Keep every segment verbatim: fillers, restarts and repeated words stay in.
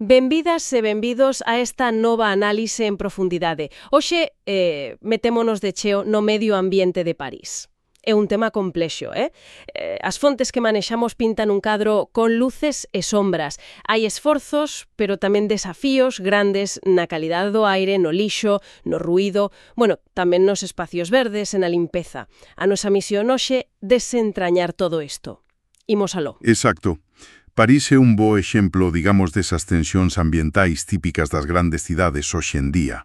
Benvidas e benvidos a esta nova análise en profundidade. Hoxe eh, metémonos de cheo no medio ambiente de París. É un tema complexo, eh? eh? As fontes que manexamos pintan un cadro con luces e sombras. Hai esforzos, pero tamén desafíos grandes na calidade do aire, no lixo, no ruído, bueno, tamén nos espacios verdes e na limpeza. A nosa misión hoxe desentrañar todo isto. Imos aló. Exacto. París é un bo exemplo, digamos, desas tensións ambientais típicas das grandes cidades hoxe en día.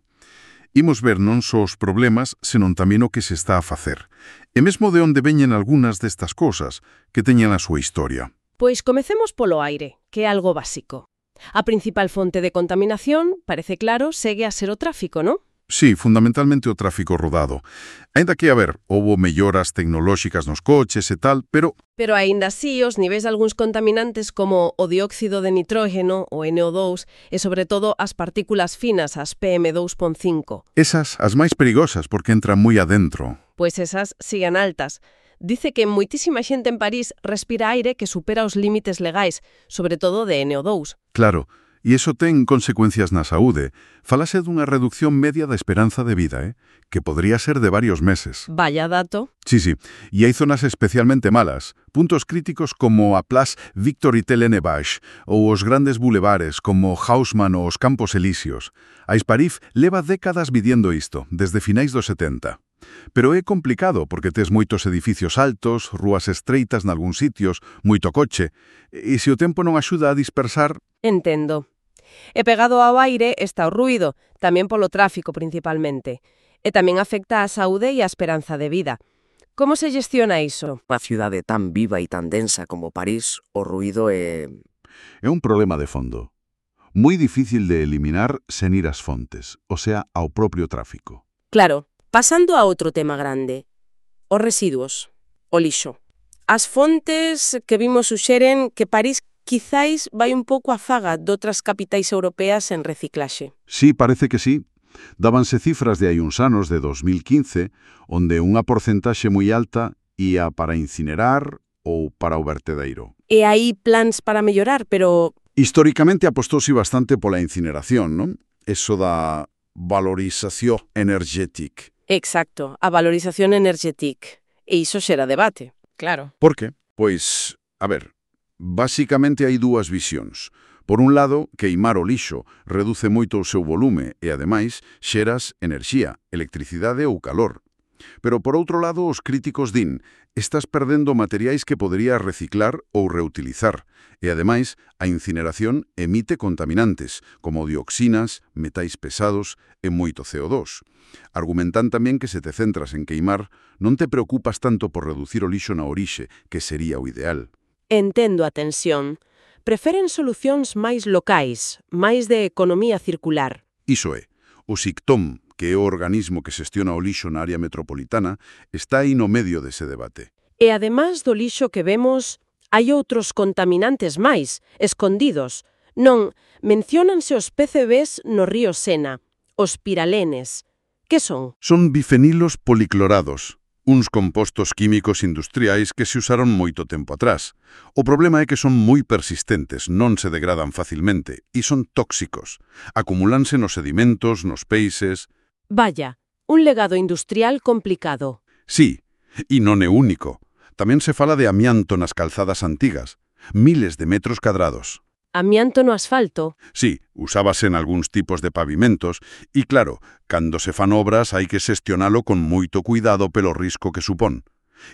Imos ver non só os problemas, senón tamén o que se está a facer. E mesmo de onde veñen algunhas destas cosas que teñen a súa historia. Pois comecemos polo aire, que é algo básico. A principal fonte de contaminación, parece claro, segue a ser o tráfico, non? Sí, fundamentalmente o tráfico rodado. Ainda que, a ver, houbo melloras tecnolóxicas nos coches e tal, pero... Pero aínda así, os niveis de algúns contaminantes como o dióxido de nitrógeno, o N O dous, e sobre todo as partículas finas, as P M dos punto cinco. Esas, as máis perigosas, porque entran moi adentro. Pois esas siguen altas. Dice que moitísima xente en París respira aire que supera os límites legais, sobre todo de N O dous. Claro. E iso ten consecuencias na saúde. Falase dunha reducción media da esperanza de vida, eh? que podría ser de varios meses. Vaya dato. Sí, sí. E hai zonas especialmente malas. Puntos críticos como a Place Victor Itelene-Baix ou os grandes bulevares como Haussmann ou os Campos Elíseos. A Esparif leva décadas vidiendo isto, desde finais dos setenta. Pero é complicado porque tes moitos edificios altos, rúas estreitas nalgúns sitios, moito coche, e se o tempo non axuda a dispersar... Entendo. E pegado ao aire está o ruído, tamén polo tráfico principalmente. E tamén afecta á saúde e á esperanza de vida. Como se gestiona iso? Unha cidade tan viva e tan densa como París, o ruído é... É un problema de fondo. Moi difícil de eliminar sen ir ás fontes, o sea, ao propio tráfico. Claro, pasando a outro tema grande. Os residuos, o lixo. As fontes que vimos suxeren que París quizáis vai un pouco a faga doutras capitais europeas en reciclaxe. Sí, parece que sí. Dábanse cifras de hai uns anos, de dos mil quince, onde unha porcentaxe moi alta ia para incinerar ou para o vertedeiro. E hai plans para mellorar, pero... Históricamente apostóse bastante pola incineración, non? Eso da valorización energética. Exacto, a valorización energética. E iso xera debate, claro. Por que? Pois, a ver... Basicamente hai dúas visións. Por un lado, queimar o lixo reduce moito o seu volume e, ademais, xeras enerxía, electricidade ou calor. Pero, por outro lado, os críticos din estás perdendo materiais que poderías reciclar ou reutilizar e, ademais, a incineración emite contaminantes, como dioxinas, metais pesados e moito C O dos. Argumentan tamén que se te centras en queimar, non te preocupas tanto por reducir o lixo na orixe, que sería o ideal. Entendo a tensión. Preferen solucións máis locais, máis de economía circular. Iso é. O SICTOM, que é o organismo que xestiona o lixo na área metropolitana, está aí no medio dese debate. E además do lixo que vemos, hai outros contaminantes máis, escondidos. Non, menciónanse os P C Bs no río Sena, os piralenes. Que son? Son bifenilos policlorados. Uns compostos químicos industriais que se usaron moito tempo atrás. O problema é que son moi persistentes, non se degradan facilmente e son tóxicos. Acumúlanse nos sedimentos, nos peixes... Vaya, un legado industrial complicado. Sí, e non é único. Tamén se fala de amianto nas calzadas antigas, miles de metros cadrados. Amianto no asfalto? Sí, usábase en algúns tipos de pavimentos e, claro, cando se fan obras hai que xestionalo con moito cuidado pelo risco que supón.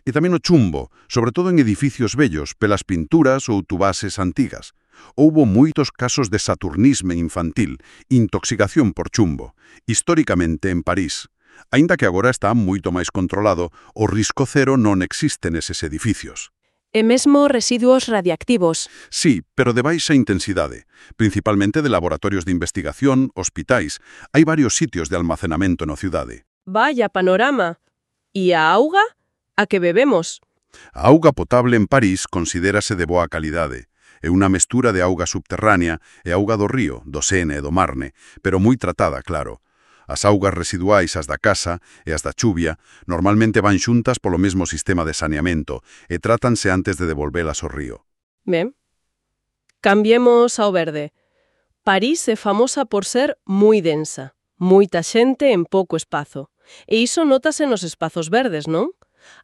E tamén o chumbo, sobre todo en edificios vellos, pelas pinturas ou tubases antigas. Houbo moitos casos de saturnisme infantil, intoxicación por chumbo, históricamente en París. Aínda que agora está moito máis controlado, o risco cero non existe neses edificios. E mesmo residuos radiactivos. Sí, pero de baixa intensidade, principalmente de laboratorios de investigación, hospitais. Hai varios sitios de almacenamento na cidade. Vaya panorama. E a auga? A que bebemos? A auga potable en París considérase de boa calidade. É unha mestura de auga subterránea e auga do río, do Sena e do Marne, pero moi tratada, claro. As augas residuais, as da casa e as da chuvia, normalmente van xuntas polo mesmo sistema de saneamento e trátanse antes de devolvelas ao río. Ben. Cambiemos ao verde. París é famosa por ser moi densa, moita xente en pouco espazo. E iso notase nos espazos verdes, non?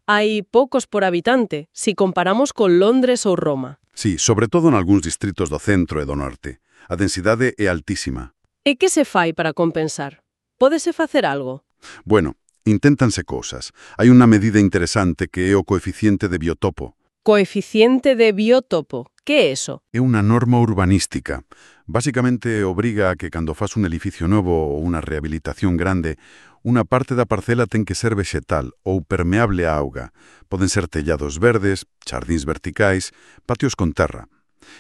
Hai poucos por habitante, si comparamos con Londres ou Roma. Sí, sobre todo en algúns distritos do centro e do norte. A densidade é altísima. E que se fai para compensar? Pódese facer algo? Bueno, inténtanse cousas. Hai unha medida interesante que é o coeficiente de biotopo. Coeficiente de biotopo. Que é eso? É unha norma urbanística. Básicamente obriga a que cando faz un edificio novo ou unha rehabilitación grande, unha parte da parcela ten que ser vexetal ou permeable á auga. Poden ser tellados verdes, xardíns verticais, patios con terra.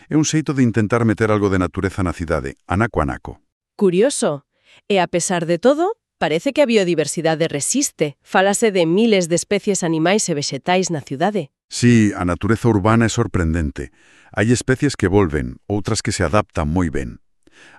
É un xeito de intentar meter algo de natureza na cidade, anaco a anaco. Curioso. E a pesar de todo, parece que a biodiversidade resiste. Fálase de miles de especies animais e vexetais na cidade. Sí, a natureza urbana é sorprendente. Hai especies que volven, outras que se adaptan moi ben.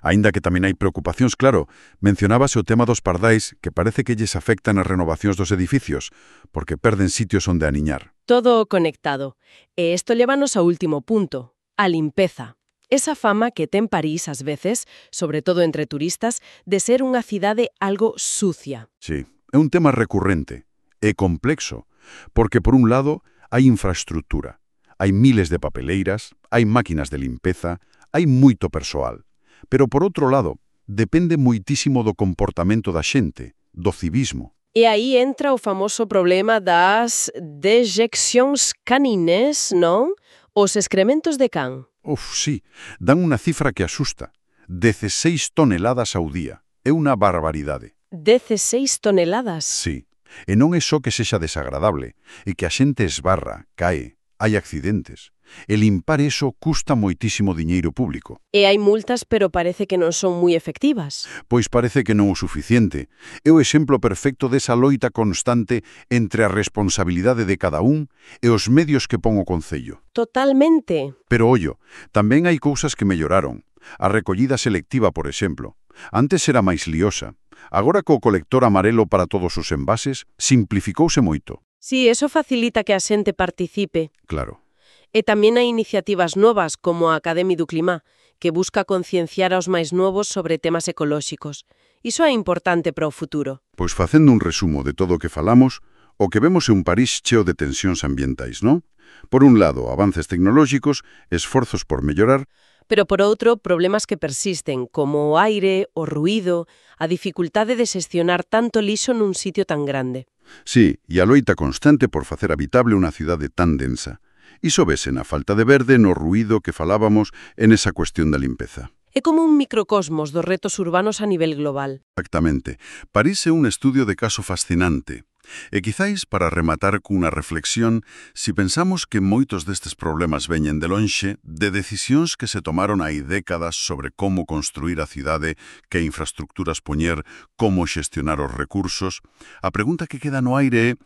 Aínda que tamén hai preocupacións, claro, mencionábase o tema dos pardais, que parece que lles afectan as renovacións dos edificios, porque perden sitios onde aniñar. Todo conectado. E isto lévanos ao último punto, a limpeza. Esa fama que ten París ás veces, sobre todo entre turistas, de ser unha cidade algo sucia. Sí, é un tema recurrente, é complexo, porque por un lado hai infraestructura, hai miles de papeleiras, hai máquinas de limpeza, hai moito persoal. Pero por outro lado, depende moitísimo do comportamento da xente, do civismo. E aí entra o famoso problema das dejeccións canines, non? Os excrementos de can. Uf, sí, dan unha cifra que asusta. dezasseis toneladas ao día. É unha barbaridade. dezasseis toneladas? Sí. E non é só que sexa desagradable, é que a xente esbarra, cae, hai accidentes. E limpar eso custa moitísimo diñeiro público. E hai multas, pero parece que non son moi efectivas. Pois parece que non o suficiente. É o exemplo perfecto desa loita constante entre a responsabilidade de cada un e os medios que pon o Concello. Totalmente. Pero, ollo, tamén hai cousas que melloraron. A recollida selectiva, por exemplo. Antes era máis liosa. Agora co colector amarelo para todos os envases, simplificouse moito. Sí, eso facilita que a xente participe. Claro. E tamén hai iniciativas novas como a Academia do Clima, que busca concienciar aos máis novos sobre temas ecolóxicos. Iso é importante para o futuro. Pois facendo un resumo de todo o que falamos, o que vemos é un París cheo de tensións ambientais, non? Por un lado, avances tecnolóxicos, esforzos por mellorar, pero por outro, problemas que persisten, como o aire, o ruído, a dificultade de xestionar tanto lixo nun sitio tan grande. Sí, e a loita constante por facer habitable unha cidade tan densa. Iso vese na falta de verde, no ruído que falábamos, en esa cuestión da limpeza. É como un microcosmos dos retos urbanos a nivel global. Exactamente. París é un estudio de caso fascinante. E quizáis, para rematar cunha reflexión, si pensamos que moitos destes problemas veñen de lonxe, de decisións que se tomaron hai décadas sobre como construir a cidade, que infraestructuras poñer, como xestionar os recursos, a pregunta que queda no aire é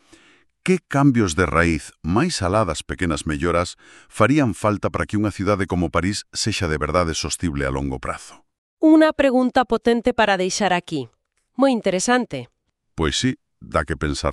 que cambios de raíz, máis alá das pequenas melloras, farían falta para que unha cidade como París sexa de verdade sostible a longo prazo? Unha pregunta potente para deixar aquí. Moi interesante. Pois sí, dá que pensar.